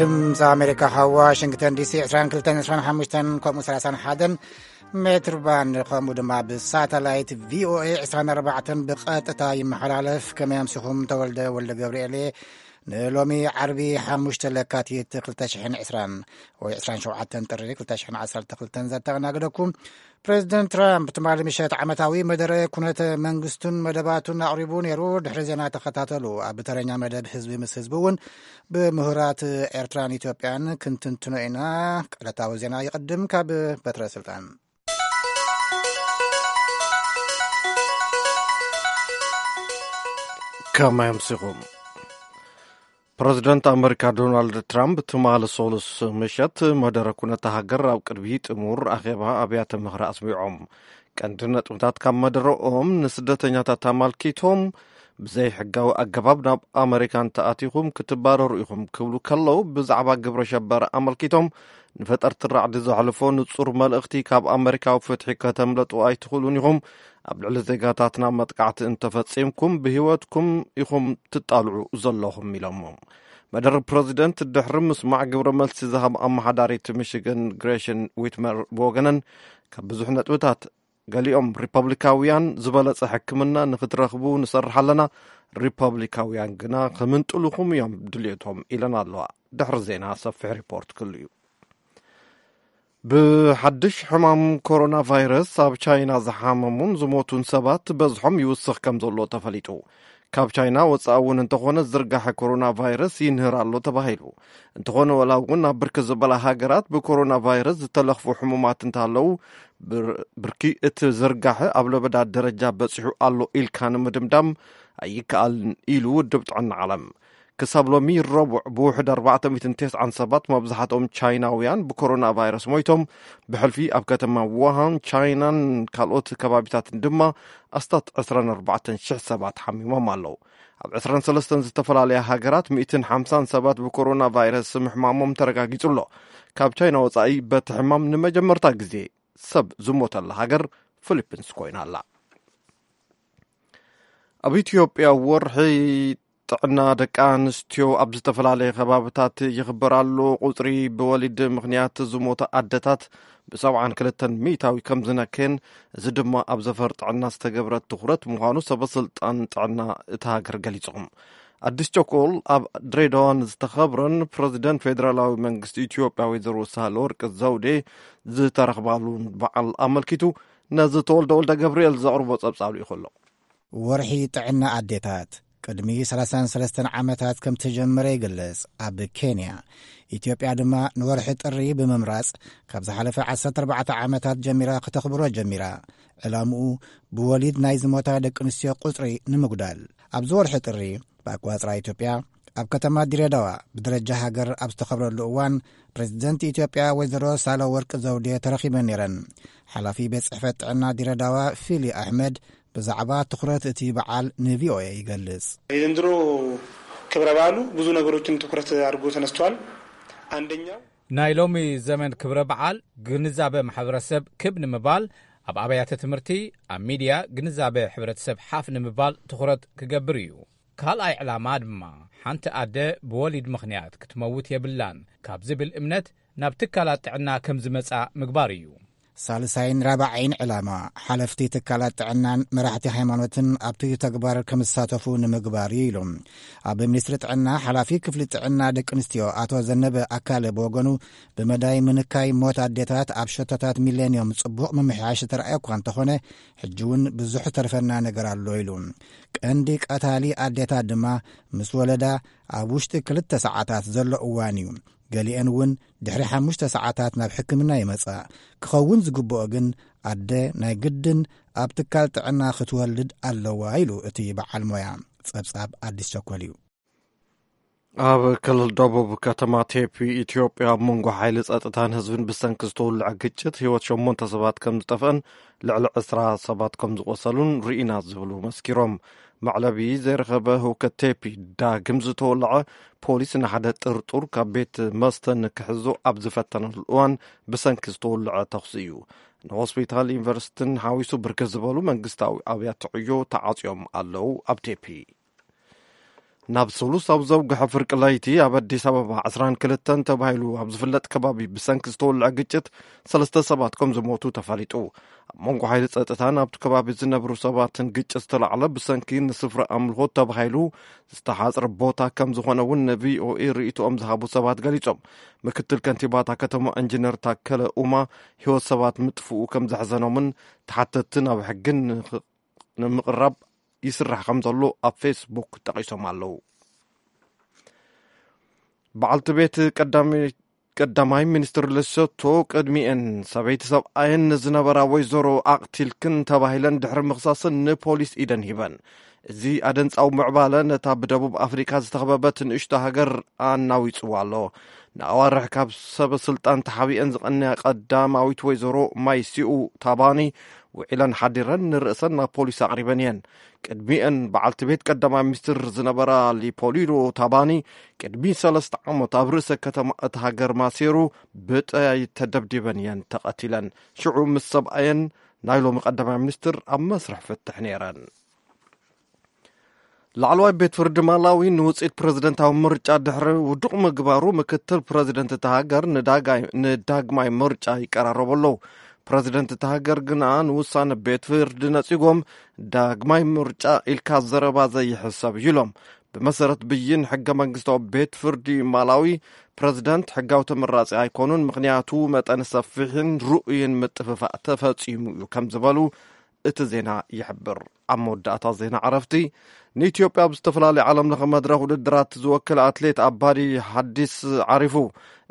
ድምፂ ኣሜሪካ ካብ ዋሽንግተን ዲሲ ዕስራን ክልተን ዕስራን ሓሙሽተን ከምኡ ሰላሳን ሓደን ሜትር ባንድ ከምኡ ድማ ብሳተላይት ቪኦኤ ዕስራን ኣርባዕተን ብቐጥታ ይመሓላለፍ። ከመይ ኣምሲኹም? ተወልደ ወልደ ገብርኤል እየ። ንሎሚ ዓርቢ ሓሙሽተ ለካቲት ክልተ ሽሕን ዕስራን ወይ ዕስራን ሸውዓተን ጥሪ ክልተ ሽሕን ዓሰርተ ክልተን ዘተኣናግደኩም። ፕሬዚደንት ትራምፕ ትማሊ ምሸት ዓመታዊ መደረ ኩነተ መንግስቱን መደባቱን ኣቕሪቡ ነይሩ። ድሕሪ ዜና ተኸታተሉ። ኣብ ተረኛ መደብ ህዝቢ ምስ ህዝቢ እውን ብምሁራት ኤርትራን ኢትዮጵያን ክንትንትኖ ኢና። ዕለታዊ ዜና ይቕድም። ካብ በትረ ስልጣን ከመይ ኣምሲኹም? ፕረዚደንት ኣመሪካ ዶናልድ ትራምፕ ትማሊ ሰሉስ ምሸት መደረ ኩነታ ሃገር ኣብ ቅድሚ ጥሙር ኣኼባ ኣብያተ ምኽሪ ኣስሚዖም። ቀንዲ ነጥብታት ካብ መደረኦም ንስደተኛታት ኣመልኪቶም፣ ብዘይ ሕጋዊ ኣገባብ ናብ ኣመሪካ እንተኣቲኹም ክትባረሩ ኢኹም ክብሉ ከለዉ፣ ብዛዕባ ግብረ ሸበራ ኣመልኪቶም ንፈጠርቲ ራዕዲ ዘሕልፎ ንጹር መልእኽቲ ካብ ኣመሪካዊ ፍትሒ ከተምለጡ ኣይትኽእሉን ኢኹም። ኣብ ልዕሊ ዜጋታትና መጥቃዕቲ እንተፈጺምኩም ብህይወትኩም ኢኹም ትጣልዑ ዘለኹም ኢሎሞም። መደረ ፕረዚደንት ድሕሪ ምስማዕ ግብረ መልሲ ዝሃብ ኣመሓዳሪት ሚሽገን ግሬሽን ዊትመር ብወገነን ካብ ብዙሕ ነጥብታት ገሊኦም ሪፐብሊካውያን ዝበለጸ ሕክምና ንኽትረኽቡ ንሰርሕ ኣለና፣ ሪፐብሊካውያን ግና ክምንጥሉኹም እዮም ድልየቶም ኢለን ኣለዋ። ድሕሪ ዜና ሰፊሕ ሪፖርት ክህሉ እዩ። ብሓድሽ ሕማም ኮሮና ቫይረስ ኣብ ቻይና ዝሓመሙን ዝሞቱን ሰባት በዝሖም ይውስኽ ከም ዘሎ ተፈሊጡ። ካብ ቻይና ወጻኢ እውን እንተኾነ ዝርጋሐ ኮሮና ቫይረስ ይንህር ኣሎ ተባሂሉ። እንተኾነ ወላ እውን ኣብ ብርክት ዝበላ ሃገራት ብኮሮና ቫይረስ ዝተለኽፉ ሕሙማት እንተሃለዉ፣ ብር-፣ ብርኪ እቲ ዝርጋሐ ኣብ ለበዳ ደረጃ በጺሑ ኣሎ ኢልካ ንምድምዳም ኣይከኣልን ኢሉ ውድብ ጥዕና ዓለም። ክሳብ ሎሚ ረቡዕ ብውሕድ ኣርባዕተ ሚእትን ተስዓን ሰባት መብዛሕትኦም ቻይናውያን ብኮሮና ቫይረስ ሞይቶም። ብሕልፊ ኣብ ከተማ ውሃን ቻይናን ካልኦት ከባቢታትን ድማ ኣስታት ዕስራን ኣርባዕተን ሽሕ ሰባት ሓሚሞም ኣለዉ። ኣብ ዕስራን ሰለስተን ዝተፈላለያ ሃገራት ሚእትን ሓምሳን ሰባት ብኮሮና ቫይረስ ምሕማሞም ተረጋጊጹ ኣሎ። ካብ ቻይና ወጻኢ በቲ ሕማም ንመጀመርታ ግዜ ሰብ ዝሞተላ ሃገር ፊሊፒንስ ኮይና ኣላ። ኣብ ኢትዮጵያ ወርሒ ጥዕና ደቂ ኣንስትዮ ኣብ ዝተፈላለየ ከባብታት ይኽበር ኣሎ። ቁጽሪ ብወሊድ ምኽንያት ዝሞታ ኣደታት ብሰብዓን ክልተን ሚእታዊ ከም ዝነከየን፣ እዚ ድማ ኣብ ዘፈር ጥዕና ዝተገብረ ትኹረት ምዃኑ ሰበ ስልጣን ጥዕና እታ ሃገር ገሊጾም። ኣዲስ ቸኮል ኣብ ድሬዳዋ ንዝተኸብረን ፕረዚደንት ፌደራላዊ መንግስቲ ኢትዮጵያ ወይዘሮ ሳህለወርቅ ዘውዴ ዝተረኽባሉን በዓል ኣመልኪቱ ነዚ ተወልደ ወልደ ገብርኤል ዘቕርቦ ጸብጻብ ልኢኹ ኣሎ። ወርሒ ጥዕና ኣዴታት ቅድሚ ሰላሳን ሰለስተን ዓመታት ከም ተጀመረ ይግለጽ። ኣብ ኬንያ፣ ኢትዮጵያ ድማ ንወርሒ ጥሪ ብምምራጽ ካብ ዝሓለፈ ዓሰርተ ኣርባዕተ ዓመታት ጀሚራ ከተኽብሮ ጀሚራ። ዕላምኡ ብወሊድ ናይ ዝሞታ ደቂ ኣንስትዮ ቁጽሪ ንምጉዳል። ኣብዚ ወርሒ ጥሪ ብኣቋጽራ ኢትዮጵያ ኣብ ከተማ ድሬዳዋ ብደረጃ ሃገር ኣብ ዝተኸብረሉ እዋን ፕሬዚደንት ኢትዮጵያ ወይዘሮ ሳህለወርቅ ዘውዴ ተረኺበን ነይረን። ሓላፊ ቤት ጽሕፈት ጥዕና ድሬዳዋ ፊሊ ኣሕመድ ብዛዕባ ትኹረት እቲ በዓል ንቪኦኤ ይገልጽ። የዘንድሮ ክብረ በዓሉ ብዙ ነገሮችን ትኩረት አድርጎ ተነስቷል። አንደኛው ናይ ሎሚ ዘመን ክብረ በዓል ግንዛበ ማሕበረሰብ ክብ ንምባል፣ ኣብ ኣብያተ ትምህርቲ፣ ኣብ ሚድያ ግንዛበ ሕብረተሰብ ሓፍ ንምባል ትኹረት ክገብር እዩ። ካልኣይ ዕላማ ድማ ሓንቲ ኣደ ብወሊድ ምኽንያት ክትመውት የብላን ካብ ዝብል እምነት ናብ ትካላት ጥዕና ከም ዝመጻ ምግባር እዩ። ሳልሳይን ራብዓይን ዕላማ ሓለፍቲ ትካላት ጥዕናን መራሕቲ ሃይማኖትን ኣብቲ ተግባር ከም ዝሳተፉ ንምግባር እዩ ኢሉ። ኣብ ሚኒስትሪ ጥዕና ሓላፊ ክፍሊ ጥዕና ደቂ ኣንስትዮ ኣቶ ዘነበ ኣካለ ብወገኑ ብመዳይ ምንካይ ሞት ኣዴታት ኣብ ሸቶታት ሚሌንዮም ጽቡቕ ምምሕያሽ ዝተረኣየ እኳ እንተኾነ ሕጂ እውን ብዙሕ ተርፈና ነገር ኣሎ ኢሉ። ቀንዲ ቀታሊ ኣዴታት ድማ ምስ ወለዳ ኣብ ውሽጢ ክልተ ሰዓታት ዘሎ እዋን እዩ። ገሊአን እውን ድሕሪ ሓሙሽተ ሰዓታት ናብ ሕክምና ይመጻ። ክኸውን ዝግብኦ ግን ኣደ ናይ ግድን ኣብ ትካል ጥዕና ክትወልድ ኣለዋ ኢሉ እቲ በዓል ሞያ። ጸብጻብ ኣዲስ ቸኮል እዩ። ኣብ ክልል ደቡብ ከተማ ቴፒ ኢትዮጵያ ኣብ መንጎ ሓይሊ ጸጥታን ህዝብን ብሰንኪ ዝተወልዐ ግጭት ህይወት ሸሞንተ ሰባት ከም ዝጠፍአን ልዕሊ ዕስራ ሰባት ከም ዝቆሰሉን ርኢና ዝብሉ መስኪሮም። መዕለቢ ዘይረኸበ ህውከት ቴፒ ዳግም ዝተወልዐ ፖሊስ ንሓደ ጥርጡር ካብ ቤት መስተ ንክሕዞ ኣብ ዝፈተነሉ እዋን ብሰንኪ ዝተወልዐ ተኹሲ እዩ። ንሆስፒታል ዩኒቨርሲቲን ሓዊሱ ብርክት ዝበሉ መንግስታዊ ኣብያተ ዕዮ ተዓጽዮም ኣለዉ። ኣብ ቴፒ ናብ ሰሉስ ኣብ ዘውግሐ ፍርቂ ለይቲ ኣብ ኣዲስ ኣበባ ዕስራን ክልተን ተባሂሉ ኣብ ዝፍለጥ ከባቢ ብሰንኪ ዝተወልዐ ግጭት ሰለስተ ሰባት ከም ዝሞቱ ተፈሊጡ። ኣብ መንጎ ሓይሊ ጸጥታን ኣብቲ ከባቢ ዝነብሩ ሰባትን ግጭት ዝተላዕለ ብሰንኪ ንስፍራ ኣምልኾ ተባሂሉ ዝተሓጽረ ቦታ ከም ዝኾነ እውን ንቪኦኤ ርእይቶኦም ዝሃቡ ሰባት ገሊጾም። ምክትል ከንቲባታ ከተማ ኢንጂነር ታከለ ኡማ ህይወት ሰባት ምጥፍኡ ከም ዘሕዘኖምን ተሓተትቲ ናብ ሕግን ንምቕራብ ይስራሕ ከም ዘሎ ኣብ ፌስቡክ ጠቒሶም ኣለዉ። በዓልቲ ቤት ቀዳሚ-፣ ቀዳማይ ሚኒስትር ሌሶቶ ቅድሚኤን ሰበይቲ ሰብኣየን ንዝነበራ ወይዘሮ ኣቕቲልክን ተባሂለን ድሕሪ ምኽሳስን ንፖሊስ ኢደን ሂበን። እዚ ኣደንጻዊ ምዕባለ ነታ ብደቡብ ኣፍሪካ ዝተኸበበት ንእሽቶ ሃገር ኣናዊጽዋ ኣሎ። ንኣዋርሕ ካብ ሰበ ስልጣን ተሓቢአን ዝቐነያ ቀዳማዊት ወይዘሮ ማይሲኡ ታባኒ ውዒለን ሓዲረን ንርእሰን ናብ ፖሊስ ኣቕሪበን እየን። ቅድሚአን በዓልቲ ቤት ቀዳማይ ሚኒስትር ዝነበራ ሊፖሊዶ ታባኒ ቅድሚ ሰለስተ ዓመት ኣብ ርእሰ ከተማ እታ ሃገር ማሴሩ ብጠያይት ተደብዲበን እየን ተቐቲለን። ሽዑ ምስ ሰብኣየን ናይ ሎሚ ቀዳማይ ሚኒስትር ኣብ መስርሕ ፍትሕ ነይረን። ላዕለዋይ ቤት ፍርዲ ማላዊ ንውፅኢት ፕረዚደንታዊ ምርጫ ድሕሪ ውዱቕ ምግባሩ ምክትል ፕረዚደንት እታ ሃገር ንዳጋይ-፣ ንዳግማይ ምርጫ ይቀራረቡ ኣለዉ። ፕረዚደንት እታ ሃገር ግና ንውሳነ ቤት ፍርዲ ነጺጎም ዳግማይ ምርጫ ኢልካ ዘረባ ዘይሕሰብ እዩ ኢሎም። ብመሰረት ብይን ሕገ መንግስታዊ ቤት ፍርዲ ማላዊ ፕረዚደንት ሕጋዊ ተመራጺ ኣይኮኑን፣ ምኽንያቱ መጠን ሰፊሕን ርኡይን ምጥፍፋእ ተፈጺሙ እዩ ከም ዝበሉ እቲ ዜና ይሕብር። ኣብ መወዳእታ ዜና ዕረፍቲ፣ ንኢትዮጵያ ኣብ ዝተፈላለዩ ዓለም ለኸ መድረኽ ውድድራት ዝወክል ኣትሌት ኣባዲ ሓዲስ ዓሪፉ።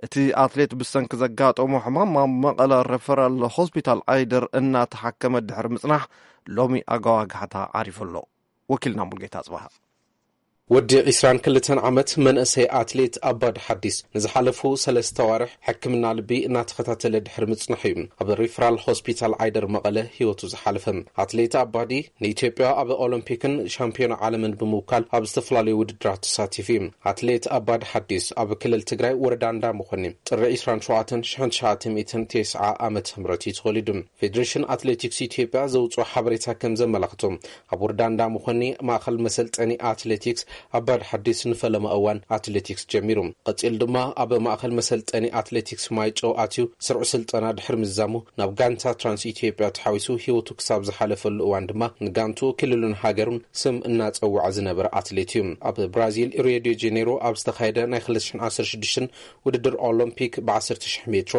እቲ ኣትሌት ብሰንኪ ዘጋጠሞ ሕማም ኣብ መቐለ ሬፈራል ሆስፒታል ዓይደር እናተሓከመ ድሕሪ ምጽናሕ ሎሚ ኣጋዋግሓታ ዓሪፉ ኣሎ። ወኪልና ሙልጌታ ጽባሃ። ወዲ ዒስራን ክልተን ዓመት መንእሰይ ኣትሌት ኣባዲ ሓዲስ ንዝሓለፉ ሰለስተ ኣዋርሕ ሕክምና ልቢ እናተኸታተለ ድሕሪ ምጽናሕ እዩ ኣብ ሪፍራል ሆስፒታል ዓይደር መቐለ ህይወቱ ዝሓለፈ። ኣትሌት ኣባዲ ንኢትዮጵያ ኣብ ኦሎምፒክን ሻምፒዮን ዓለምን ብምውካል ኣብ ዝተፈላለዩ ውድድራት ተሳቲፉ እዩ። ኣትሌት ኣባዲ ሓዲስ ኣብ ክልል ትግራይ ወረዳ እንዳ መኾኒ ጥሪ ዒስራን ሸውዓተን ሽሕን ትሽዓተ ሚእትን ተስዓ ዓመተ ምህረት እዩ ተወሊዱ። ፌዴሬሽን ኣትሌቲክስ ኢትዮጵያ ዘውፅኦ ሓበሬታ ከም ዘመላኽቶ፣ ኣብ ወረዳ እንዳ መኾኒ ማእኸል መሰልጠኒ ኣትሌቲክስ ኣባዲ ሓዲስ ንፈለማ እዋን ኣትሌቲክስ ጀሚሩ። ቀፂሉ ድማ ኣብ ማእኸል መሰልጠኒ ኣትሌቲክስ ማይጨው ኣትዩ ስርዑ ስልጠና ድሕሪ ምዝዛሙ ናብ ጋንታ ትራንስ ኢትዮጵያ ተሓዊሱ ህይወቱ ክሳብ ዝሓለፈሉ እዋን ድማ ንጋንቱ ክልሉን ሃገሩን ስም እናፀውዐ ዝነበረ ኣትሌት እዩ። ኣብ ብራዚል ሪዮ ዴ ጄኔሮ ኣብ ዝተኻየደ ናይ ክልተ ሽሕን ዓሰርተ ሽዱሽተን ውድድር ኦሎምፒክ ብዓሰርተ ሽሕ ሜትሮ፣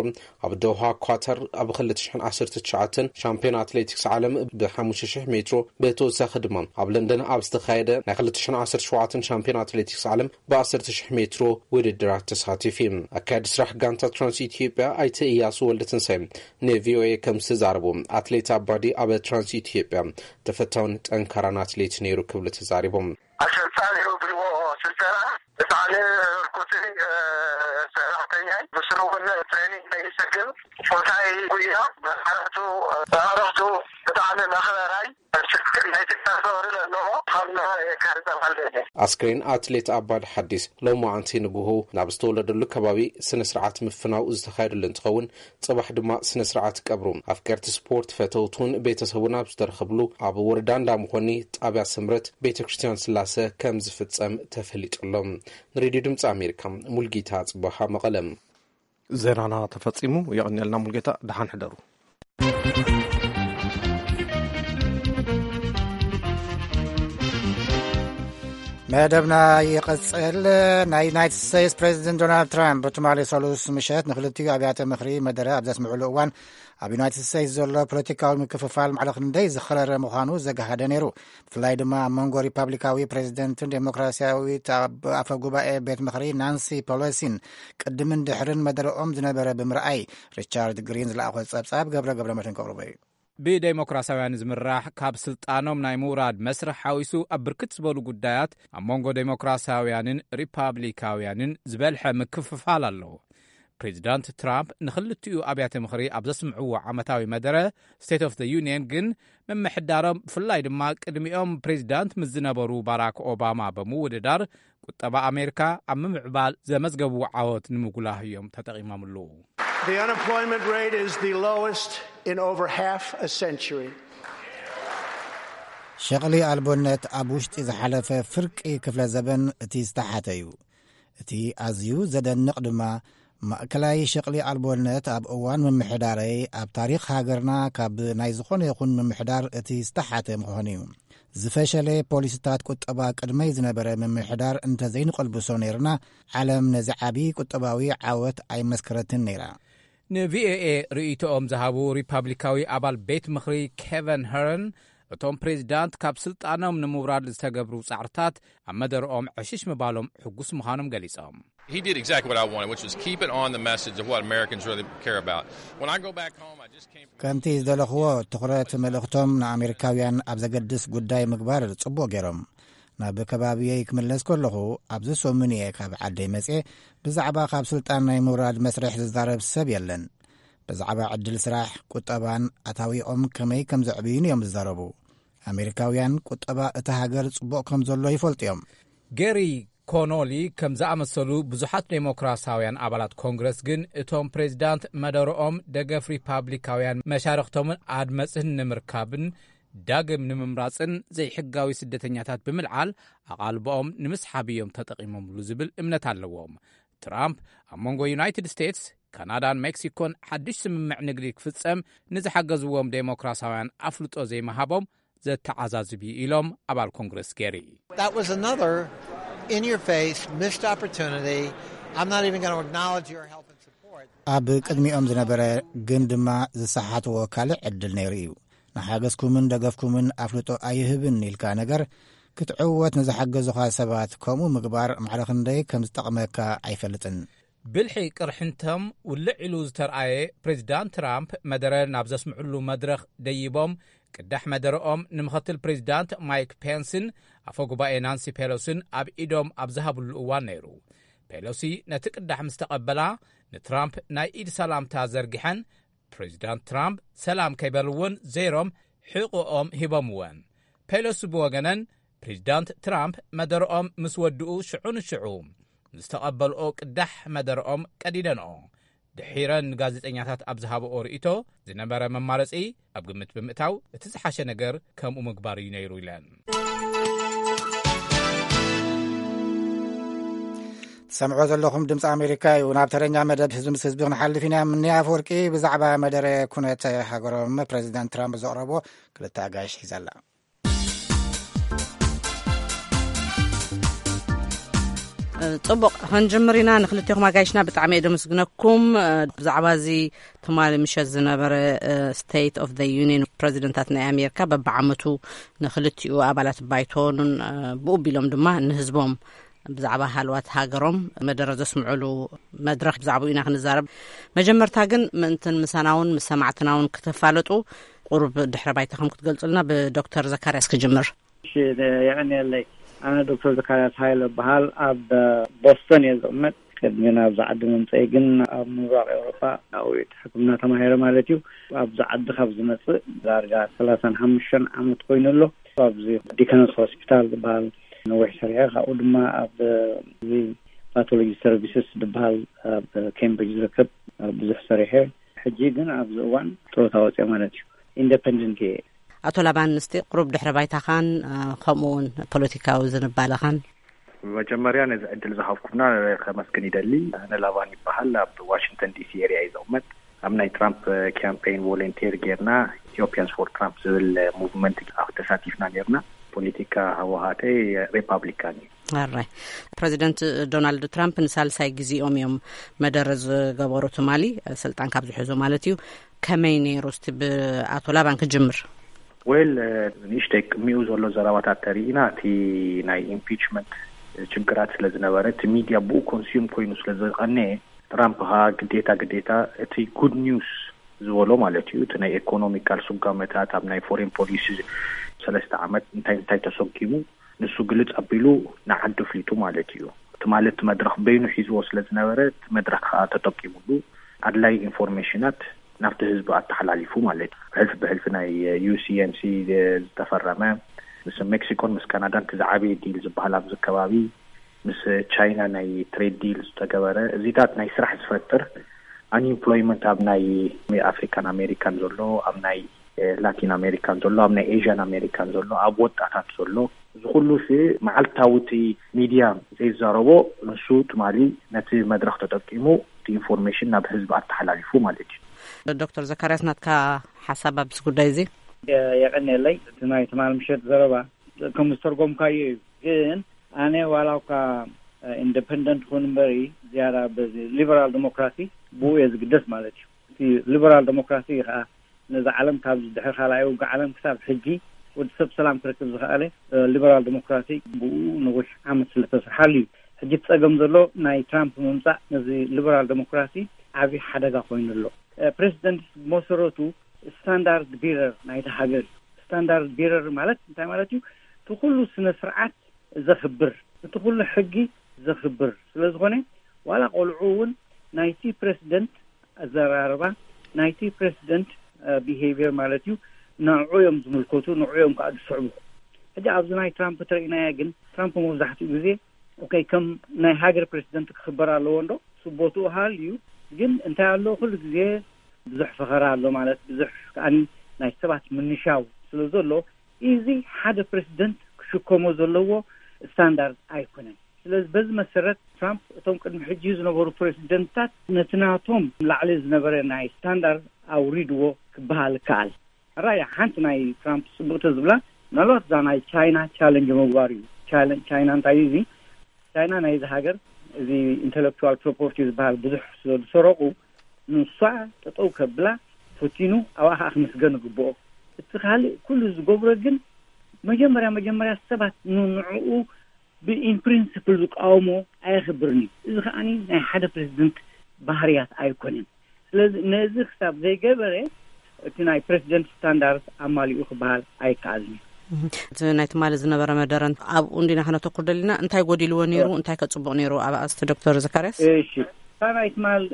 ኣብ ዶሃ ኳታር ኣብ ክልተ ሽሕን ዓሰርተ ትሽዓተን ሻምፒዮን ኣትሌቲክስ ዓለም ብሓሙሽተ ሽሕ ሜትሮ፣ ብተወሳኺ ድማ ኣብ ለንደን ኣብ ዝተኻየደ ናይ ክልተ ሽሕን ዓሰርተ ሸውዓተን ሻምፒዮን ኣትሌቲክስ ዓለም ብዓሰርተ ሽሕ ሜትሮ ውድድራት ተሳቲፉ እዩ። ኣካያዲ ስራሕ ጋንታ ትራንስ ኢትዮጵያ ኣይተ እያሱ ወልደትንሳኤ ንቪኦኤ ከም ዝተዛረቡ፣ ኣትሌት ኣባዲ ኣብ ትራንስ ኢትዮጵያ ተፈታውን ጠንካራን ኣትሌት ነይሩ ክብሉ ተዛሪቦም። ኣሰልጣኒ ብልዎ ስልጠና ብጣዕሚ ህርኩት፣ እ፣ ሰራሕተኛ፣ ብስሩ እውን ትሬኒንግ ይሰግም። ፎታይ ጉያ መሳርሕቱ፣ መሳርሕቱ ብጣዕሚ መኽበራይ፣ ናይ ትካል ክብሪ ዘለዎ ካብ ናይ የካቲት ተባልደ። ኣስክሬን ኣትሌት ኣባዲ ሓዲስ ሎማዓንቲ ንግሆ ናብ ዝተወለደሉ ከባቢ ስነ ስርዓት ምፍናው ዝተኻየደሉ እንትኸውን፣ ጽባሕ ድማ ስነ ስርዓት ቀብሩ ኣፍቀርቲ ስፖርት፣ ፈተውቱን ቤተሰቡን ኣብ ዝተረኸብሉ ኣብ ወረዳ እንዳመኾኒ ጣብያ ስምረት ቤተ ክርስቲያን ስላሰ ከም ዝፍጸም ተፈሊጡ ኣሎ። ንሬድዮ ድምፂ ኣሜሪካ ሙልጌታ ጽባሃ መቐለ። ዜናና ተፈጺሙ። የቐንየልና ሙልጌታ፣ ደሓን ሕደሩ። መደብና ይቕጽል። ናይ ዩናይትድ ስቴትስ ፕሬዚደንት ዶናልድ ትራምፕ ትማሊ ሰሉስ ምሸት ንክልቲኡ ኣብያተ ምኽሪ መደረ ኣብ ዘስምዕሉ እዋን፣ ኣብ ዩናይትድ ስቴትስ ዘሎ ፖለቲካዊ ምክፍፋል ማዕረ ክንደይ ዝኸረረ ምዃኑ ዘገሃደ ነይሩ። ብፍላይ ድማ ኣብ መንጎ ሪፓብሊካዊ ፕሬዚደንትን ዴሞክራሲያዊት ኣብ ኣፈ ጉባኤ ቤት ምኽሪ ናንሲ ፐሎሲን ቅድምን ድሕርን መደረኦም ዝነበረ ብምርኣይ፣ ሪቻርድ ግሪን ዝለኣኾ ጸብጻብ ገብረ ገብረ መድህን ከቕርቦ እዩ። ብዴሞክራሲያውያን ዝምራሕ ካብ ስልጣኖም ናይ ምውራድ መስርሕ ሓዊሱ ኣብ ብርክት ዝበሉ ጉዳያት ኣብ መንጎ ዴሞክራሲያውያንን ሪፓብሊካውያንን ዝበልሐ ምክፍፋል ኣለዎ። ፕሬዚዳንት ትራምፕ ንክልቲኡ ኣብያተ ምኽሪ ኣብ ዘስምዕዎ ዓመታዊ መደረ ስቴት ኦፍ ዘ ዩኒየን ግን ምምሕዳሮም ብፍላይ ድማ ቅድሚኦም ፕሬዚዳንት ምስ ዝነበሩ ባራክ ኦባማ ብምውድዳር ቁጠባ ኣሜሪካ ኣብ ምምዕባል ዘመዝገብዎ ዓወት ንምጉላህ እዮም ተጠቒሞምሉ። The unemployment rate is the lowest in over half a century. ሸቕሊ ኣልቦነት ኣብ ውሽጢ ዝሓለፈ ፍርቂ ክፍለ ዘበን እቲ ዝተሓተ እዩ። እቲ ኣዝዩ ዘደንቕ ድማ፣ ማእከላይ ሸቕሊ ኣልቦነት ኣብ እዋን ምምሕዳረይ ኣብ ታሪኽ ሃገርና ካብ ናይ ዝኾነ ይኹን ምምሕዳር እቲ ዝተሓተ ምዃኑ እዩ። ዝፈሸለ ፖሊስታት ቁጠባ ቅድመይ ዝነበረ ምምሕዳር እንተዘይንቐልብሶ ነይርና፣ ዓለም ነዚ ዓቢ ቁጠባዊ ዓወት ኣይመስከረትን ነይራ። ንቪኦኤ ርእይቶኦም ዝሃቡ ሪፓብሊካዊ ኣባል ቤት ምኽሪ ኬቨን ሀረን፣ እቶም ፕሬዚዳንት ካብ ስልጣኖም ንምውራድ ዝተገብሩ ጻዕርታት ኣብ መደረኦም ዕሽሽ ምባሎም ሕጉስ ምዃኖም ገሊጾም። He did exactly what I wanted, which was keep it on the message of what Americans really care about. When I go back home, I just came from ከምቲ ዝደለኽዎ ትኹረት መልእኽቶም ንኣሜሪካውያን ኣብ ዘገድስ ጉዳይ ምግባር ጽቡቕ ገይሮም። ናብ ከባቢየይ ክምለስ ከለኹ፣ ኣብዚ ሰሙን እየ ካብ ዓደይ መጽየ። ብዛዕባ ካብ ስልጣን ናይ ምውራድ መስርሕ ዝዛረብ ሰብ የለን። ብዛዕባ ዕድል ስራሕ፣ ቁጠባን ኣታዊኦም ከመይ ከም ዘዕብዩን እዮም ዝዛረቡ። ኣሜሪካውያን ቁጠባ እታ ሃገር ጽቡቕ ከም ዘሎ ይፈልጡ እዮም። ጌሪ ኮኖሊ ከም ዝኣመሰሉ ብዙሓት ዴሞክራሲያውያን ኣባላት ኮንግረስ ግን፣ እቶም ፕሬዚዳንት መደረኦም ደገፍ ሪፓብሊካውያን መሻርኽቶምን ኣድመጽን ንምርካብን ዳግም ንምምራጽን ዘይሕጋዊ ስደተኛታት ብምልዓል ኣቓልቦኦም ንምስሓብ እዮም ተጠቒሞምሉ ዝብል እምነት ኣለዎም። ትራምፕ ኣብ መንጎ ዩናይትድ ስቴትስ፣ ካናዳን ሜክሲኮን ሓድሽ ስምምዕ ንግዲ ክፍጸም ንዝሓገዝዎም ዴሞክራሲያውያን ኣፍልጦ ዘይምሃቦም ዘተዓዛዝብ እዩ ኢሎም ኣባል ኮንግረስ ጌሪ። That was another in your face missed opportunity. I'm not even going to acknowledge your help and support. ኣብ ቅድሚኦም ዝነበረ ግን ድማ ዝሰሓትዎ ካልእ ዕድል ነይሩ እዩ። ንሓገዝኩምን ደገፍኩምን ኣፍልጦ ኣይህብን ኢልካ ነገር ክትዕወት ንዝሓገዙኻ ሰባት ከምኡ ምግባር ማዕረ ክንደይ ከም ዝጠቕመካ ኣይፈልጥን። ብልሒ ቅርሕንቶም ውልዕ ኢሉ ዝተርኣየ ፕሬዚዳንት ትራምፕ መደረ ናብ ዘስምዕሉ መድረኽ ደይቦም፣ ቅዳሕ መደረኦም ንምኽትል ፕሬዚዳንት ማይክ ፔንስን ኣፈ ጉባኤ ናንሲ ፔሎስን ኣብ ኢዶም ኣብ ዝሃብሉ እዋን ነይሩ። ፔሎሲ ነቲ ቅዳሕ ምስ ተቐበላ፣ ንትራምፕ ናይ ኢድ ሰላምታ ዘርጊሐን፣ ፕሬዚዳንት ትራምፕ ሰላም ከይበልወን ዘይሮም ሕቖኦም ሂቦምወን። ፔሎሲ ብወገነን፣ ፕሬዚዳንት ትራምፕ መደረኦም ምስ ወድኡ ሽዑ ንሽዑ ዝተቐበልኦ ቅዳሕ መደረኦም ቀዲደንኦ። ድሒረን ንጋዜጠኛታት ኣብ ዝሃብኦ ርእይቶ፣ ዝነበረ መማረጺ ኣብ ግምት ብምእታው፣ እቲ ዝሓሸ ነገር ከምኡ ምግባር እዩ ነይሩ ኢለን። ትሰምዕዎ ዘለኹም ድምፂ ኣሜሪካ እዩ። ናብ ተረኛ መደብ ህዝቢ ምስ ህዝቢ ክንሓልፍ ኢና። ምኒ ኣፈወርቂ ብዛዕባ መደረ ኩነት ሃገሮም ፕሬዚዳንት ትራምፕ ዘቕረቦ ክልተ ኣጋይሽ ሒዛላ። ጽቡቕ፣ ክንጅምር ኢና። ንክልቴኹም ኣጋይሽና ብጣዕሚ እየ ደመስግነኩም። ብዛዕባ እዚ ትማሊ ምሸት ዝነበረ ስቴት ኦፍ ዘ ዩኒየን ፕሬዚደንታት ናይ ኣሜሪካ በብዓመቱ ንክልቲኡ ኣባላት ባይቶን ብኡ ቢሎም ድማ ንህዝቦም ብዛዕባ ሃልዋት ሃገሮም መደረ ዘስምዑሉ መድረኽ ብዛዕባኡ ኢና ክንዛረብ። መጀመርታ ግን ምእንትን ምሳና እውን ምስ ሰማዕትና እውን ክተፋለጡ ቁሩብ ድሕረ ባይታኹም ክትገልጹልና ብዶክተር ዘካርያስ ክጅምር። እሺ፣ የቐንየለይ። ኣነ ዶክተር ዘካርያስ ሃይለ እበሃል። ኣብ ቦስተን እየ ዝቕመጥ። ቅድሚ ናብዚ ዓዲ ምምፀይ ግን ኣብ ምብራቕ ኤውሮጳ ናውዒት ሕክምና ተማሂረ ማለት እዩ። ኣብዚ ዓዲ ካብ ዝመፅእ ዳርጋ ሰላሳን ሓሙሽተን ዓመት ኮይኑ ኣሎ። ኣብዚ ዲከንስ ሆስፒታል ዝበሃል ነዊሕ ሰሪሐ። ካብኡ ድማ ኣብ እዚ ፓቶሎጂ ሰርቪስስ ዝበሃል ኣብ ኬምብሪጅ ዝርከብ ብዙሕ ሰሪሐ። ሕጂ ግን ኣብዚ እዋን ጥሮታ ወፅየ ማለት እዩ። ኢንደፐንደንት እየ። ኣቶ ላባን፣ እስቲ ቁሩብ ድሕረ ባይታኻን ከምኡ እውን ፖለቲካዊ ዝንባለኻን። መጀመርያ ነዚ ዕድል ዝሃብኩምና ከመስግን ይደሊ። ኣነ ላባን ይበሃል። ኣብ ዋሽንግተን ዲሲ ኤሪያ እዩ ዝቕመጥ። ኣብ ናይ ትራምፕ ካምፔን ቮለንቴር ጌርና ኢትዮጵያንስ ፎር ትራምፕ ዝብል ሙቭመንት ኣብ ተሳቲፍና ኔርና። ፖለቲካ ሃወሃተይ ሪፓብሊካን እዩ። ኣራይ፣ ፕሬዚደንት ዶናልድ ትራምፕ ንሳልሳይ ግዜኦም እዮም መደረ ዝገበሩ ትማሊ ስልጣን ካብ ዝሕዙ ማለት እዩ። ከመይ ነይሩ? እስቲ ብኣቶ ላባን ክጅምር። ወል ንእሽተይ ቅድሚኡ ዘሎ ዘረባታት ተሪኢና እቲ ናይ ኢምፒችመንት ችግራት ስለ ዝነበረ እቲ ሚድያ ብኡ ኮንሱም ኮይኑ ስለ ዝቐነየ ትራምፕ ኸዓ ግዴታ ግዴታ እቲ ጉድ ኒውስ ዝበሎ ማለት እዩ እቲ ናይ ኢኮኖሚካል ስጓመታት ኣብ ናይ ፎሬን ፖሊሲ ሰለስተ ዓመት እንታይ እንታይ ተሰኪሙ ንሱ ግልፅ ኣቢሉ ንዓዲ ኣፍሊጡ ማለት እዩ። ትማሊ እቲ መድረኽ በይኑ ሒዝዎ ስለ ዝነበረ እቲ መድረኽ ከዓ ተጠቂሙሉ ኣድላይ ኢንፎርሜሽናት ናብቲ ህዝቢ ኣተሓላሊፉ ማለት እዩ። ብሕልፊ ብሕልፊ ናይ ዩ ሲ ኤም ሲ ዝተፈረመ ምስ ሜክሲኮን ምስ ካናዳን እቲ ዝዓበየ ዲል ዝበሃል ኣብዚ ከባቢ ምስ ቻይና ናይ ትሬድ ዲል ዝተገበረ እዚታት ናይ ስራሕ ዝፈጥር ኣንኢምፕሎይመንት ኣብ ናይ ኣፍሪካን ኣሜሪካን ዘሎ ኣብ ናይ ላቲን ኣሜሪካን ዘሎ፣ ኣብ ናይ ኤዥያን ኣሜሪካን ዘሎ፣ ኣብ ወጣታት ዘሎ፣ እዚ ኩሉ ሲ መዓልታዊ እቲ ሚድያ ዘይዛረቦ፣ ንሱ ትማሊ ነቲ መድረኽ ተጠቂሙ እቲ ኢንፎርሜሽን ናብ ህዝቢ ኣተሓላሊፉ ማለት እዩ። ዶክተር ዘካርያስ፣ ናትካ ሓሳብ ኣብዚ ጉዳይ እዚ? የቀንየለይ። እቲ ናይ ትማል ምሸት ዘረባ ከም ዝተርጎምካዮ እዩ። ግን ኣነ ዋላ እኳ ኢንደፐንደንት ኩን እምበሪ፣ ዝያዳ በዚ ሊበራል ዲሞክራሲ ብኡ እየ ዝግደስ ማለት እዩ። እቲ ሊበራል ዲሞክራሲ እዩ ከዓ ነዚ ዓለም ካብ ድሕሪ ካልኣይ ውግእ ዓለም ክሳብ ሕጂ ወዲ ሰብ ሰላም ክረክብ ዝኸኣለ ሊበራል ዲሞክራሲ ብኡ ነዊሕ ዓመት ስለተሰርሓሉ እዩ። ሕጂ እቲ ጸገም ዘሎ ናይ ትራምፕ ምምጻእ ነዚ ሊበራል ዲሞክራሲ ዓብዪ ሓደጋ ኮይኑ ኣሎ። ፕሬዚደንት መሰረቱ ስታንዳርድ ቢረር ናይቲ ሃገር እዩ። ስታንዳርድ ቢረር ማለት እንታይ ማለት እዩ? እቲ ኩሉ ስነ ስርዓት ዘኽብር፣ እቲ ኩሉ ሕጊ ዘኽብር ስለ ዝኾነ፣ ዋላ ቆልዑ እውን ናይቲ ፕሬዚደንት ኣዘራርባ፣ ናይቲ ፕሬዚደንት ቢሄቪየር ማለት እዩ፣ ንዕኡ እዮም ዝምልከቱ፣ ንዕኡ እዮም ከዓ ዝስዕቡ። ሕጂ ኣብዚ ናይ ትራምፕ ተረኢናያ ግን፣ ትራምፕ መብዛሕትኡ ግዜ ኦኬ፣ ከም ናይ ሃገር ፕሬዚደንት ክኽበር ኣለዎ እንዶ፣ ስቦትኡ ሃልዩ። ግን እንታይ ኣሎ፣ ኩሉ ግዜ ብዙሕ ፈኸራ ኣሎ ማለት፣ ብዙሕ ከኣኒ ናይ ሰባት ምንሻው ስለ ዘሎ፣ እዚ ሓደ ፕሬዚደንት ክሽከሞ ዘለዎ ስታንዳርድ ኣይኮነን። ስለዚ በዚ መሰረት ትራምፕ እቶም ቅድሚ ሕጂ ዝነበሩ ፕሬዚደንትታት ነቲ ናቶም ላዕሊ ዝነበረ ናይ ስታንዳርድ ኣውሪድዎ ክበሃል ይከኣል። ራያ ሓንቲ ናይ ትራምፕ ጽቡቅ ተዝብላ፣ ምናልባት እዛ ናይ ቻይና ቻለንጅ ምግባር እዩ። ቻይና እንታይ እዩ እዚ? ቻይና ናይዚ ሃገር እዚ ኢንተሌክቹዋል ፕሮፐርቲ ዝበሃል ብዙሕ ስለ ዝሰረቁ፣ ንሷ ጠጠው ከብላ ፈቲኑ፣ ኣብኣ ከዓ ክምስገን ይግብኦ። እቲ ካልእ ኩሉ ዝገብሮ ግን መጀመርያ መጀመርያ ሰባት ንንዕኡ ብኢን ፕሪንስፕል ዝቃወሞ ኣየኽብርን እዩ። እዚ ከዓኒ ናይ ሓደ ፕሬዚደንት ባህርያት ኣይኮነን። ስለዚ ነዚ ክሳብ ዘይገበረ እቲ ናይ ፕሬዚደንት ስታንዳርድ ኣማሊኡ ክበሃል ኣይከኣልን እዩ። እቲ ናይ ትማሊ ዝነበረ መደረ ኣብኡ እንዲና ክነተኩር ደሊና። እንታይ ጎዲልዎ ነይሩ? እንታይ ከጽቡቕ ነይሩ? ኣብ ኣስቲ ዶክተር ዘካርያስ። እሺ፣ እታ ናይ ትማል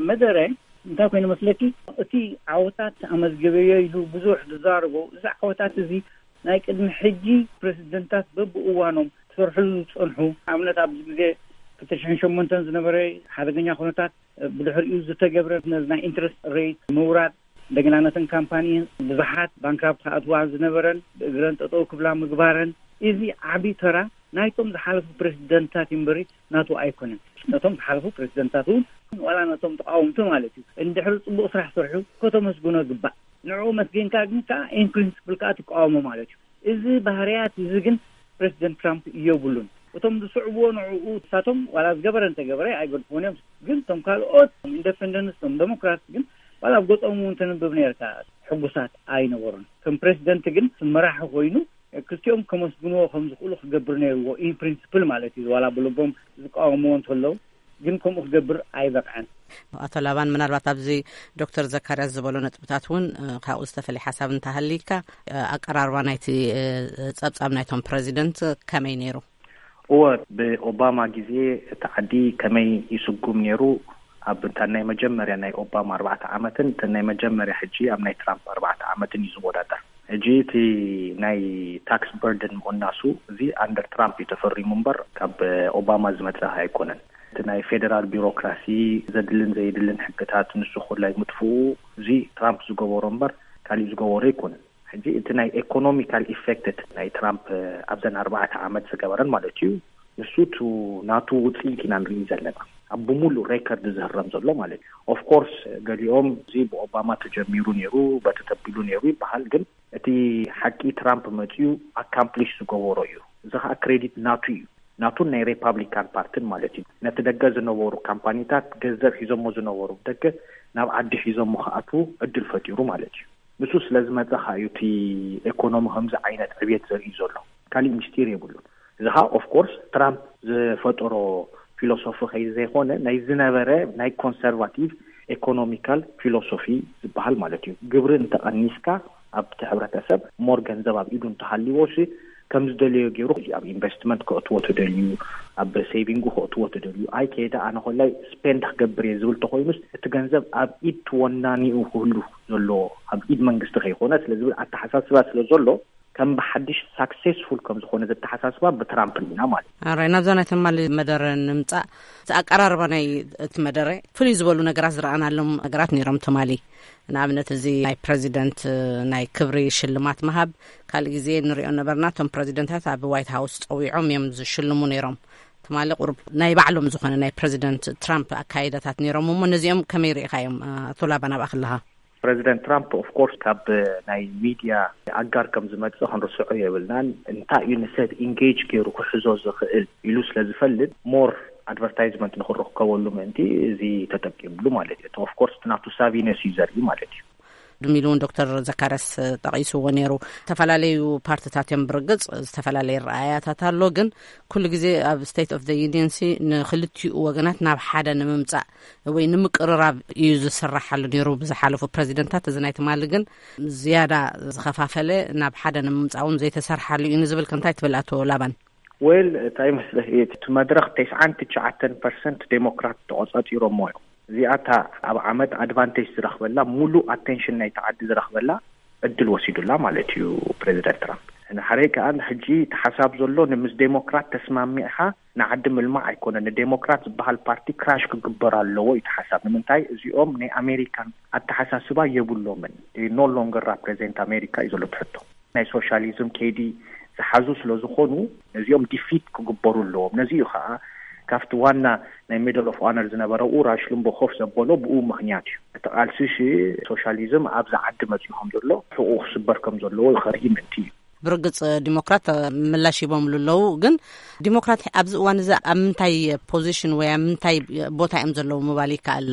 መደረ እንታይ ኮይኑ መስለኪ? እቲ ዓወታት ኣመዝገበዮ ኢሉ ብዙሕ ዝዛረቦ፣ እዚ ዓወታት እዚ ናይ ቅድሚ ሕጂ ፕሬዚደንታት በብእዋኖም ክሰርሕሉ ዝጸንሑ፣ ኣብነት ኣብዚ ግዜ ክልተ ሽሕን ሸሞንተን ዝነበረ ሓደገኛ ኩነታት፣ ብድሕሪኡ ዝተገብረ ነዚ ናይ ኢንትረስት ሬት ምውራድ፣ እንደገና ነተን ካምፓኒ ብዙሓት ባንክራፕት ክኣትዋ ዝነበረን ብእግረን ጠጠው ክብላ ምግባረን፣ እዚ ዓቢ ተራ ናይቶም ዝሓለፉ ፕሬዚደንታት እዩ እምበሪ ናቱ ኣይኮነን። ነቶም ዝሓለፉ ፕሬዚደንታት እውን ዋላ ነቶም ተቃወምቲ ማለት እዩ፣ እንድሕሪ ጽቡቅ ስራሕ ሰርሑ ከተመስግኖ ግባእ። ንዕኡ መስገንካ ግን ከዓ ኢን ፕሪንስፕል ከዓ ትቃወሞ ማለት እዩ። እዚ ባህርያት እዚ ግን ፕሬዚደንት ትራምፕ የብሉን። እቶም ዝስዕብዎ ንዕኡ ንሳቶም ዋላ ዝገበረ እንተገበረ ኣይገድፍዎን እዮም። ግን እቶም ካልኦት ኢንደፐንደንትስ፣ እቶም ዴሞክራት ግን ዋላ ኣብ ገጾም እውን ተንብብ ነርካ ሕጉሳት ኣይነበሩን። ከም ፕሬዚደንት ግን መራሒ ኮይኑ ክልቲኦም ከመስግንዎ ከም ዝኽእሉ ክገብር ነይርዎ፣ ኢን ፕሪንስፕል ማለት እዩ። ዋላ ብልቦም ዝቃወምዎ እንተለዉ ግን ከምኡ ክገብር ኣይበቅዐን። ኣቶ ላባን፣ ምናልባት ኣብዚ ዶክተር ዘካርያስ ዝበሎ ነጥብታት እውን ካብኡ ዝተፈለየ ሓሳብ እንተሃልይካ፣ ኣቀራርባ ናይቲ ጸብጻብ ናይቶም ፕረዚደንት ከመይ ነይሩ? እወ፣ ብኦባማ ግዜ እቲ ዓዲ ከመይ ይስጉም ነይሩ? ኣብ እታ ናይ መጀመርያ ናይ ኦባማ ኣርባዕተ ዓመትን እተን ናይ መጀመርያ ሕጂ ኣብ ናይ ትራምፕ ኣርባዕተ ዓመትን እዩ ዝወዳደር። ሕጂ እቲ ናይ ታክስ በርደን ምቕናሱ እዚ ኣንደር ትራምፕ እዩ ተፈሪሙ እምበር ካብ ኦባማ ዝመጸ ኣይኮነን። እቲ ናይ ፌደራል ቢሮክራሲ ዘድልን ዘየድልን ሕግታት ንሱ ኩላይ ምጥፍኡ እዚ ትራምፕ ዝገበሮ እምበር ካሊእ ዝገበሮ ኣይኮነን። ሕጂ እቲ ናይ ኤኮኖሚካል ኢፌክት ናይ ትራምፕ ኣብዘን ኣርባዕተ ዓመት ዝገበረን ማለት እዩ። ንሱ ቱ ናቱ ውፅኢት ኢና ንርኢ ዘለና ኣብ ብምሉእ ሬከርድ ዝህረም ዘሎ ማለት እዩ። ኦፍኮርስ ገሊኦም እዚ ብኦባማ ተጀሚሩ ነይሩ በቲ ተቢሉ ነይሩ ይበሃል፣ ግን እቲ ሓቂ ትራምፕ መፅኡ ኣካምፕሊሽ ዝገበሮ እዩ። እዚ ከዓ ክሬዲት ናቱ እዩ፣ ናቱን ናይ ሪፓብሊካን ፓርትን ማለት እዩ። ነቲ ደገ ዝነበሩ ካምፓኒታት ገንዘብ ሒዞሞ ዝነበሩ ደገ ናብ ዓዲ ሒዞሞ ክኣትዉ ዕድል ፈጢሩ ማለት እዩ። ንሱ ስለ ዝመፀ ከዓ እዩ እቲ ኤኮኖሚ ከምዚ ዓይነት ዕብየት ዘርኢ ዘሎ። ካሊእ ምስጢር የብሉን። እዚ ከዓ ኦፍኮርስ ትራምፕ ዝፈጠሮ ፊሎሶፊ ከይ ዘይኮነ ናይ ዝነበረ ናይ ኮንሰርቫቲቭ ኤኮኖሚካል ፊሎሶፊ ዝበሃል ማለት እዩ። ግብሪ እንተቐኒስካ ኣብቲ ሕብረተሰብ ሞር ገንዘብ ኣብ ኢዱ እንተሃልዎ ሲ ከም ዝደለዮ ገይሩ ኣብ ኢንቨስትመንት ከእትዎ ተደልዩ፣ ኣብ ሴቪንጉ ከእትዎ ተደልዩ፣ ኣይ ከይደ ኣነ ኮላይ ስፔንድ ክገብር እየ ዝብል ተኮይኑስ እቲ ገንዘብ ኣብ ኢድ ትወናኒኡ ክህሉ ዘለዎ ኣብ ኢድ መንግስቲ ከይኮነ ስለ ዝብል ኣተሓሳስባ ስለ ዘሎ ከም ብሓድሽ ሳክሴስፉል ከም ዝኾነ ዘተሓሳስባ ብትራምፕ ኢና ማለት እዩ። ኣራይ ናብዛ ናይ ትማሊ መደረ ንምጻእ፣ እቲ ኣቀራርባ ናይ እቲ መደረ ፍልይ ዝበሉ ነገራት ዝረኣናሎም ነገራት ነይሮም ትማሊ። ንኣብነት እዚ ናይ ፕረዚደንት ናይ ክብሪ ሽልማት ምሃብ ካልእ ግዜ ንሪኦ ነበርና። እቶም ፕረዚደንታት ኣብ ዋይት ሃውስ ጸዊዖም እዮም ዝሽልሙ ነይሮም። ትማሊ ቁሩብ ናይ ባዕሎም ዝኾነ ናይ ፕረዚደንት ትራምፕ ኣካይዳታት ነይሮም። እሞ ነዚኦም ከመይ ርኢኻዮም? ኣቶ ላባ ናብኣ ከለኻ። ፕረዚደንት ትራምፕ ኦፍኮርስ ካብ ናይ ሚድያ ኣጋር ከም ዝመጽእ ክንርስዖ የብልናን። እንታይ እዩ ንሰብ ኢንጌጅ ገይሩ ክሕዞ ዝኽእል ኢሉ ስለ ዝፈልጥ ሞር ኣድቨርታይዝመንት ንክረከበሉ ምእንቲ እዚ ተጠቂምሉ ማለት እዩ። ኦፍኮርስ ናቱ ሳቪነስ እዩ ዘርኢ ማለት እዩ። ድሚሉ እውን ዶክተር ዘካርያስ ጠቒስዎ ነይሩ። ዝተፈላለዩ ፓርትታት እዮም ብርግጽ፣ ዝተፈላለየ ረኣያታት ኣሎ። ግን ኩሉ ግዜ ኣብ ስቴት ኦፍ ዘ ዩኒየን ሲ ንክልቲኡ ወገናት ናብ ሓደ ንምምጻእ ወይ ንምቅርራብ እዩ ዝስራሓሉ ነይሩ ብዝሓለፉ ፕረዚደንታት። እዚ ናይ ትማሊ ግን ዝያዳ ዝኸፋፈለ፣ ናብ ሓደ ንምምጻእ እውን ዘይተሰርሓሉ እዩ ንዝብል ከ እንታይ ትብል ኣቶ ላባን? ዌል፣ እንታይ ይመስለክ፣ እቲ መድረኽ ተስዓን ትሽዓተን ፐርሰንት ዴሞክራት ተቆጻጺሮሞ እዮም። እዚኣታ ኣብ ዓመት ኣድቫንቴጅ ዝረኽበላ፣ ሙሉእ ኣቴንሽን ናይቲ ዓዲ ዝረኽበላ ዕድል ወሲዱላ ማለት እዩ ፕሬዚደንት ትራምፕ። ንሓረይ ከኣ ሕጂ እቲ ሓሳብ ዘሎ ንምስ ዴሞክራት ተስማሚዕኻ ንዓዲ ምልማዕ ኣይኮነን። ንዴሞክራት ዝበሃል ፓርቲ ክራሽ ክግበር ኣለዎ እዩ እቲ ሓሳብ። ንምንታይ? እዚኦም ናይ ኣሜሪካን ኣተሓሳስባ የብሎምን። ኖ ሎንገር ራፕሬዘንት ኣሜሪካ እዩ ዘሎ እቲ ሕቶ። ናይ ሶሻሊዝም ከይዲ ዝሓዙ ስለ ዝኾኑ ነዚኦም ዲፊት ክግበሩ ኣለዎም። ነዚ እዩ ከዓ ካብቲ ዋና ናይ ሜደል ኦፍ ኦነር ዝነበረ ኡራሽ ልምቦ ኮፍ ዘበሎ ብኡ ምኽንያት እዩ። እቲ ቃልሲ ሲ ሶሻሊዝም ኣብዚ ዓዲ መፅኡ ከም ዘሎ ሕቁ ክስበር ከም ዘለዎ ይኸርኢ ምእንቲ እዩ። ብርግጽ ዲሞክራት ምላሽ ሂቦምሉ ኣለዉ። ግን ዲሞክራት ኣብዚ እዋን እዚ ኣብ ምንታይ ፖዚሽን ወይ ኣብ ምንታይ ቦታ እዮም ዘለዉ ምባል ይከኣል?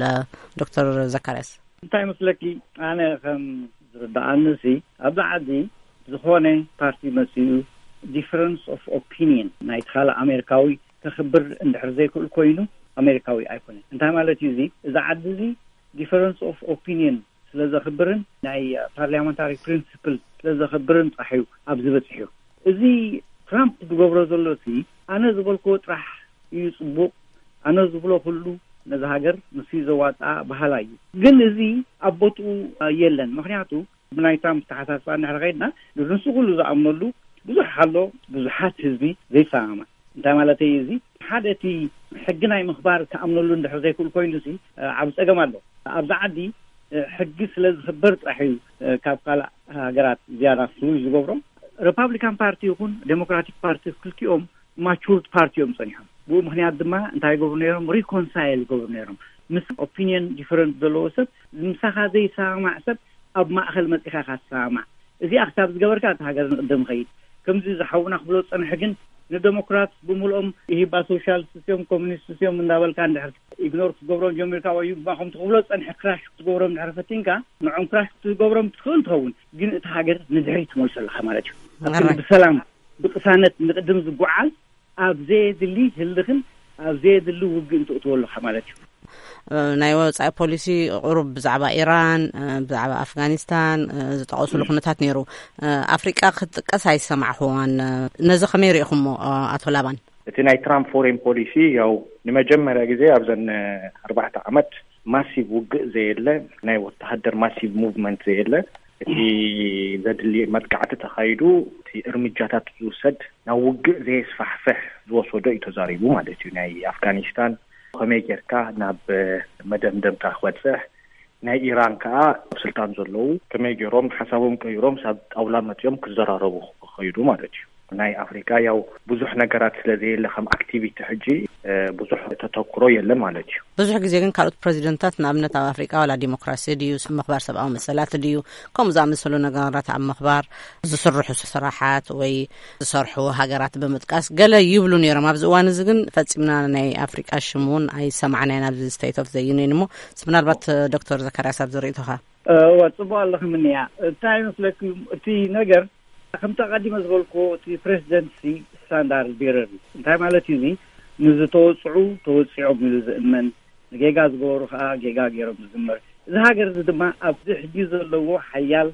ዶክተር ዘካርያስ። እንታይ መስለኪ፣ ኣነ ከም ዝርዳኣኒ ሲ ኣብዚ ዓዲ ዝኾነ ፓርቲ መፅኡ ዲፈረንስ ኦፍ ኦፒኒየን ናይ ካልእ ኣሜሪካዊ ከኽብር እንድሕር ዘይክእል ኮይኑ ኣሜሪካዊ ኣይኮነን። እንታይ ማለት እዩ እዚ? እዚ ዓዲ እዚ ዲፈረንስ ኦፍ ኦፒኒየን ስለ ዘኽብርን ናይ ፓርላመንታሪ ፕሪንስፕል ስለ ዘኽብርን ጥራሕ እዩ ኣብዚ በፂሑ። እዚ ትራምፕ ዝገብሮ ዘሎ ሲ ኣነ ዝበልክዎ ጥራሕ እዩ ፅቡቕ፣ ኣነ ዝብሎ ኩሉ ነዚ ሃገር ንሱ ዘዋጣ በሃላ እዩ። ግን እዚ ኣብ ቦትኡ የለን። ምክንያቱ ብናይ ትራምፕ ተሓሳስባ እንድሕር ከይድና ንሱ ኩሉ ዝኣምነሉ ብዙሕ ኣሎ፣ ብዙሓት ህዝቢ ዘይሰማማዕ። እንታይ ማለተይ እዚ? ሓደ እቲ ሕጊ ናይ ምኽባር ክኣምነሉ እንድሕር ዘይክእል ኮይኑ ሲ ዓብ ፀገም ኣሎ። ኣብዚ ዓዲ ሕጊ ስለ ዝኽበር ጥራሕ እዩ ካብ ካልእ ሃገራት ዝያዳ ፍሉይ ዝገብሮም። ሪፓብሊካን ፓርቲ ይኹን ዴሞክራቲክ ፓርቲ ክልቲኦም ማቹርድ ፓርቲ እዮም ጸኒሖም። ብኡ ምኽንያት ድማ እንታይ ይገብሩ ነይሮም? ሪኮንሳይል ይገብሩ ነይሮም። ምስ ኦፒኒየን ዲፈረንት ዘለዎ ሰብ፣ ምሳኻ ዘይሰማማዕ ሰብ ኣብ ማእኸል መጺኻ ኢኻ ትሰማማዕ። እዚኣ ክሳብ ዝገበርካ እቲ ሃገር ንቕድም ይኸይድ። ከምዚ ዝሓውና ክብሎ ዝጸንሐ ግን ንደሞክራት ብምልኦም ኢሂባ ሶሻሊስት እዮም ኮሚኒስት እዮም እንዳበልካ እንድሕር ኢግኖር ክትገብሮም ጀሚርካ ወይ ድማ ከምቲ ክብሎ ዝጸንሐ ክራሽ ክትገብሮም እንድሕር ፈቲንካ ንዖም ክራሽ ክትገብሮም ትኽእል ትኸውን፣ ግን እቲ ሃገር ንድሕሪት ትመልሶ ኣለኻ ማለት እዩ። ኣብ ክንዲ ብሰላም ብቅሳነት ንቅድም ዝጓዓዝ ኣብ ዘየድሊ ህልኽን ኣብ ዘየድሊ ውግእን ትእትዎ ኣለኻ ማለት እዩ። ናይ ወፃኢ ፖሊሲ ቁሩብ ብዛዕባ ኢራን፣ ብዛዕባ ኣፍጋኒስታን ዝጠቐሱሉ ኩነታት ነይሩ። ኣፍሪቃ ክትጥቀስ ኣይሰማዕኹዋን። ነዚ ከመይ ርኢኹሞ ኣቶ ላባን? እቲ ናይ ትራምፕ ፎሬን ፖሊሲ ያው ንመጀመርያ ግዜ ኣብዘን ኣርባዕተ ዓመት ማሲቭ ውግእ ዘየለ ናይ ወተሃደር ማሲቭ ሙቭመንት ዘየለ እቲ ዘድሊ መጥቃዕቲ ተኻይዱ እቲ እርምጃታት ዝውሰድ ናብ ውግእ ዘየስፋሕፍሕ ዝወሰዶ እዩ ተዛሪቡ ማለት እዩ። ናይ ኣፍጋኒስታን ከመይ ጌርካ ናብ መደምደምታ ክበፅሕ ናይ ኢራን ከዓ ኣብ ስልጣን ዘለዉ ከመይ ገይሮም ሓሳቦም ቀይሮም ሳብ ጣውላ መፅኦም ክዘራረቡ ክኸይዱ ማለት እዩ። ናይ ኣፍሪካ ያው ብዙሕ ነገራት ስለ ዘየለ ከም ኣክቲቪቲ ሕጂ ብዙሕ ተተኩሮ የለን ማለት እዩ። ብዙሕ ግዜ ግን ካልኦት ፕረዚደንታት ንኣብነት ኣብ ኣፍሪካ ዋላ ዲሞክራሲ ድዩ ምኽባር ሰብኣዊ መሰላት ድዩ ከምኡ ዝኣመሰሉ ነገራት ኣብ ምኽባር ዝስርሑ ስራሓት ወይ ዝሰርሑ ሃገራት ብምጥቃስ ገለ ይብሉ ነይሮም። ኣብዚ እዋን እዚ ግን ፈፂምና ናይ ኣፍሪቃ ሽም እውን ኣይሰማዕናይ ናብዚ ስቴት ኦፍ ዘ ዩኒየን። እሞ ምናልባት ዶክተር ዘካርያስ ኣብዚ ርእቶኻ? እወ፣ ጽቡቕ ኣለኺ ምንያ። እንታይ ይመስለኩም፣ እቲ ነገር ከምቲ ኣቐዲመ ዝበልክዎ፣ እቲ ፕሬዚደንት ሲ ስታንዳርድ ቤረር እዩ። እንታይ ማለት እዩ እዚ? ንዝተወጽዑ ተወጺዖም ኢሉ ዝእመን፣ ንጌጋ ዝገበሩ ከኣ ጌጋ ገይሮም ዝዝመር። እዚ ሃገር እዚ ድማ ኣብዚ ሕጂ ዘለዎ ሓያል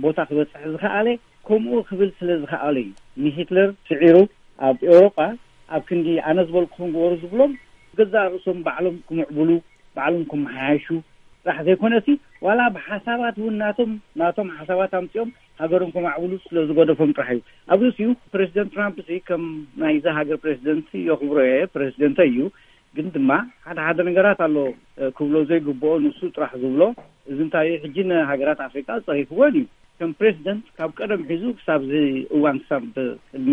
ቦታ ክበጽሕ ዝኸኣለ ከምኡ ክብል ስለ ዝኸኣለ እዩ። ንሂትለር ስዒሩ ኣብ ኤውሮጳ ኣብ ክንዲ ኣነ ዝበልኩኹም ግበሩ ዝብሎም ገዛእ ርእሶም ባዕሎም ክምዕብሉ ባዕሎም ክመሓየሹ ጥራሕ ዘይኮነሲ ዋላ ብሓሳባት እውን ናቶም ናቶም ሓሳባት ኣምጺኦም ሃገሮም ከማዕብሉ ስለ ዝገደፎም ጥራሕ እዩ። ኣብ ርእሲኡ ፕሬዚደንት ትራምፕ ሲ ከም ናይዛ ሃገር ፕሬዚደንት የኽብሮ እየ፣ ፕሬዚደንት እዩ። ግን ድማ ሓደ ሓደ ነገራት ኣሎ፣ እ፣ ክብሎ ዘይግብኦ ንሱ ጥራሕ ዝብሎ። እዚ እንታይ እዩ? ሕጂ ንሃገራት ኣፍሪቃ ጸሪፍወን እዩ። ከም ፕሬዚደንት ካብ ቀደም ሒዙ ክሳብ እዚ እዋን፣ ክሳብ ቅድሚ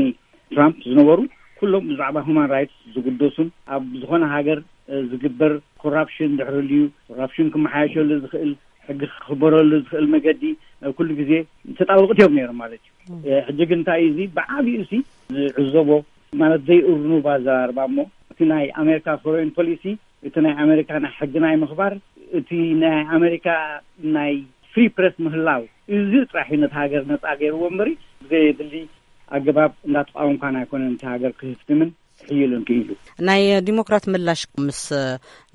ትራምፕ ዝነበሩ ኩሎም ብዛዕባ ሁማን ራይትስ ዝግደሱን ኣብ ዝኾነ ሃገር፣ እ፣ ዝግበር ኮራፕሽን ድሕሪ ልዩ ኮራፕሽን ክመሓየሸሉ ዝኽእል፣ ሕጊ ክኽበረሉ ዝኽእል መገዲ፣ እ፣ ኩሉ ግዜ ተጣበቕቲ እዮም ነይሮም ማለት እዩ። እ፣ ሕጂ ግን እንታይ እዩ እዚ ብዓቢኡ ሲ ዝዕዘቦ ማለት ዘይእርኑብ ኣዘራርባ እሞ እቲ ናይ ኣሜሪካ ፎሬን ፖሊሲ፣ እቲ ናይ ኣሜሪካ ናይ ሕጊ ናይ ምኽባር፣ እቲ ናይ ኣሜሪካ ናይ ፍሪ ፕሬስ ምህላው፣ እዚ ጥራሕ እዩ ነቲ ሃገር ነጻ ገይርዎ እምበሪ ብዘየድሊ ኣገባብ እንዳተቃወምካን ኣይኮነን እቲ ሃገር ክህፍትምን ክሕይልን ክኢሉ። ናይ ዲሞክራት ምላሽ ምስ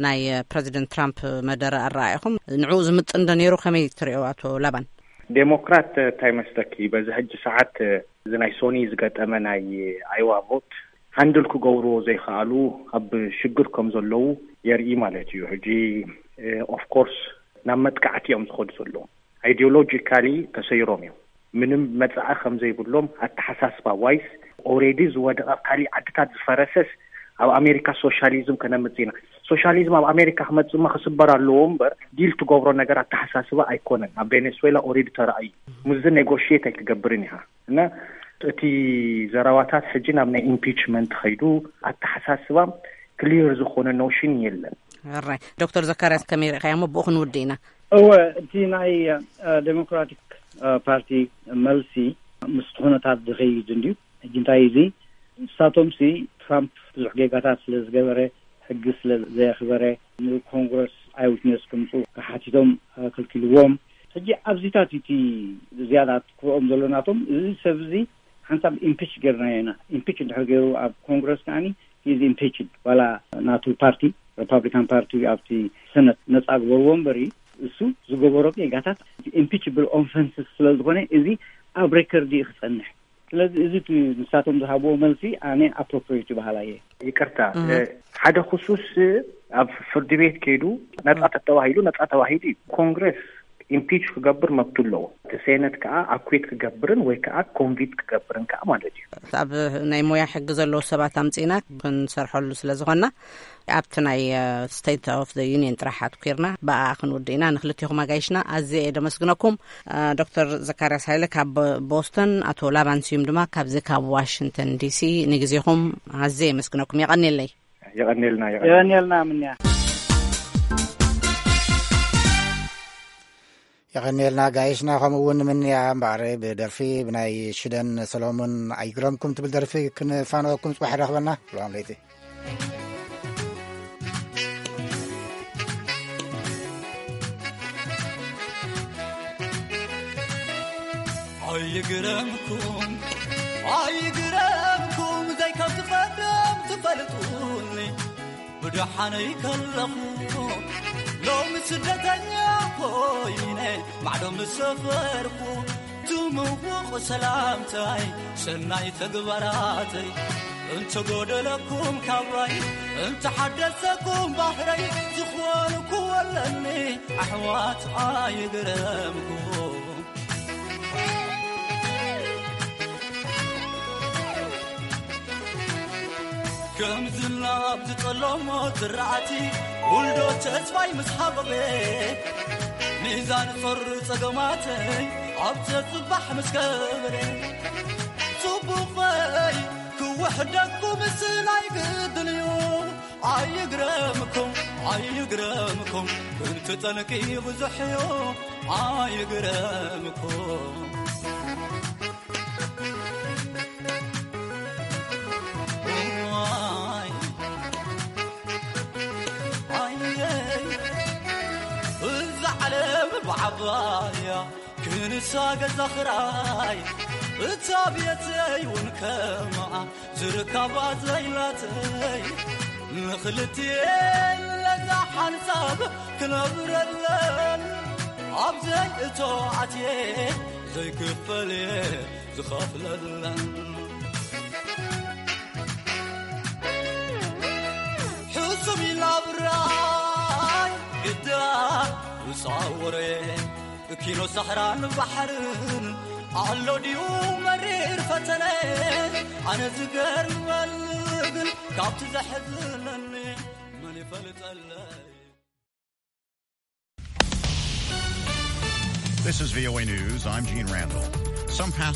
ናይ ፕረዚደንት ትራምፕ መደረ ኣረኣኢኹም ንዕኡ ዝምጥን ዶ ነይሩ? ከመይ ትሪኦ ኣቶ ላባን? ዴሞክራት እንታይ መስለኪ፣ በዚ ሕጂ ሰዓት እዚ ናይ ሶኒ ዝገጠመ ናይ ኣይዋ ቮት ሃንድል ክገብርዎ ዘይከኣሉ ኣብ ሽግር ከም ዘለዉ የርኢ ማለት እዩ። ሕጂ ኦፍኮርስ ናብ መጥቃዕቲ እዮም ዝኸዱ ዘለዉ። ኣይዲዮሎጂካሊ ተሰይሮም እዮም። ምንም መጻኢ ከም ዘይብሎም ኣተሓሳስባ ዋይስ ኦሬዲ ዝወደቐ ኣብ ካሊእ ዓድታት ዝፈረሰስ ኣብ ኣሜሪካ ሶሻሊዝም ከነምጽእ ኢና። ሶሻሊዝም ኣብ ኣሜሪካ ክመጽእ እሞ ክስበር ኣለዎ እምበር ዲል ትገብሮ ነገር ኣተሓሳስባ ኣይኮነን። ኣብ ቬኔስዌላ ኦሬዲ ተራእዩ ምስዚ ኔጎሽየት ኣይትገብርን ኢኻ። እና እቲ ዘረባታት ሕጂ ናብ ናይ ኢምፒችመንት ኸይዱ ኣተሓሳስባ ክሊር ዝኾነ ኖሽን የለን። ራይ ዶክተር ዘካርያስ ከመይ ርኢኻዮ እሞ ብኡ ክንውድእ ኢና። እወ፣ እቲ ናይ ዴሞክራቲክ ፓርቲ መልሲ ምስ ኩነታት ዝኸይድ እንድዩ። ሕጂ እንታይ እዚ ንሳቶም ሲ ትራምፕ ብዙሕ ጌጋታት ስለ ዝገበረ፣ ሕጊ ስለ ዘየኽበረ፣ ንኮንግረስ ኣይ ዊትነስ ክምፁ ክሓቲቶም ክልኪልዎም። ሕጂ ኣብዚታት እቲ ዝያዳ ትክኦም ዘሎ ናቶም፣ እዚ ሰብ እዚ ሓንሳብ ኢምፒች ገርናዮ ኢና። ኢምፒች እንድሕር ገይሩ ኣብ ኮንግረስ ከዓኒ ሂዝ ኢምፒችድ ዋላ ናቱ ፓርቲ ሪፓብሊካን ፓርቲ ኣብቲ ሰነት ነፃ ግበርዎ እምበሪ እሱ ዝገበሮ ጌጋታት ኢምፒችብል ኦፈንስስ ስለ ዝኾነ እዚ ኣብ ሬከርድ እዩ ክፀንሕ። ስለዚ እዚ እቲ ንሳቶም ዝሃብዎ መልሲ ኣነ ኣፕሮፕሪየት ይበሃላ እየ። ይቅርታ፣ ሓደ ክሱስ ኣብ ፍርዲ ቤት ከይዱ ነፃ ተተባሂሉ ነፃ ተባሂሉ እዩ። ኮንግረስ ኢምፒች ክገብር መብቱ ኣለዎ። እቲ ሴነት ከዓ ኣኩት ክገብርን ወይ ከዓ ኮንቪክት ክገብርን ከዓ ማለት እዩ። ኣብ ናይ ሞያ ሕጊ ዘለዉ ሰባት ኣምፂእና ክንሰርሐሉ ስለ ዝኾንና ኣብቲ ናይ ስቴት ኦፍ ዩኒየን ጥራሕ ኣትኩርና ብኣ ክንውድእ ኢና። ንክልቴኹም ኣጋይሽና ኣዝየ እየ ደመስግነኩም። ዶክተር ዘካርያስ ሃይለ ካብ ቦስተን፣ ኣቶ ላባን ስዩም ድማ ካብዚ ካብ ዋሽንግተን ዲሲ፣ ንግዜኹም ኣዝየ የመስግነኩም። የቐንየለይ። የቐንየልና። የቐንየልና ምንያ። የቐንየልና ጋይሽና፣ ከምኡ እውን ምንያ። እምበኣር ብደርፊ ብናይ ሽደን ሰሎሞን ኣይግረምኩም ትብል ደርፊ ክንፋነወኩም። ፅባሕ ረኽበና። ሰላም ለይቲ። ኣይግረምኩም፣ ኣይግረምኩም፣ ዘይከብቲ ቀደም ትፈልጡኒ። ብደሓነይ ከለኹ ሎሚ ስደተኛ ኮይነ ማዕዶ ምስ ሰፈርኩ፣ ትምውቕ ሰላምታይ ሰናይ ተግባራተይ፣ እንተጎደለኩም ካባይ፣ እንተሓደሰኩም ባህረይ፣ ዝኾንኩ ወለኒ ኣሕዋት ኣይግረምኩም። ከምዝና ኣብቲ ጸለሞ ዝረኣቲ ውልዶ ተስፋይ ምስ ሓበበ፣ ሚዛን ፈር ጸገማተይ ኣብ ዘጽባሕ ምስ ከበረ፣ ጽቡቐይ ክውሕደኩም ስላይ ግድን እዩ። ኣይግረምኩም፣ ኣይግረምኩም፣ ክንትጠንቂ ብዙሕ እዩ። ኣይግረምኩም። እዋይ፣ ኣየይ፣ እዛ ዓለም ብዓባያ ክንሳ ገዛ ኽራይ፣ እታ ቤተይ እውን ከምኣ ዝርካባ ዘይላተይ፣ ንኽልቲኤን ለዛ ሓንሳብ ክነብረለን፣ ኣብ ዘይእቶ ኣትየ ዘይክፈል እየ ዝኸፍለለን። ሕሱም ኢላ ብራይ ግዳ ውፃወረ፣ ኪኖ ሳሕራን ባሕርን ኣሎ ድዩ መሪር ፈተነ ኣነ ዝገርመኒ ግን ካብቲ ዘሕዝነኒ መን ይፈልጠለይ። This is V O A News. I'm Gene Randall. Some passengers